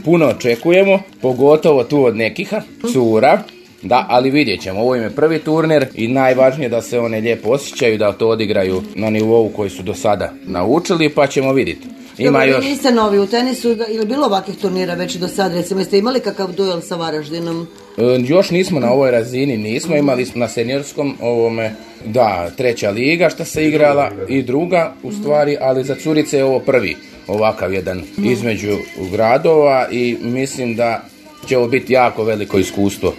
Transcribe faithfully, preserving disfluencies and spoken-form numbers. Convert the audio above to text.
puno očekujemo, pogotovo tu od nekih cura. Da, ali vidjet ćemo, ovo im je prvi turnir i najvažnije da se one lijepo osjećaju, da to odigraju na nivou koji su do sada naučili, pa ćemo vidjeti. Ima još... Vi niste novi u tenisu, ili bilo ovakvih turnira već do sad, recimo, jeste imali kakav duel sa Varaždinom? E, još nismo na ovoj razini, nismo, imali smo na seniorskom ovome, da, treća liga što se igrala i druga u stvari, ali za curice je ovo prvi ovakav jedan između gradova i mislim da će ovo biti jako veliko iskustvo.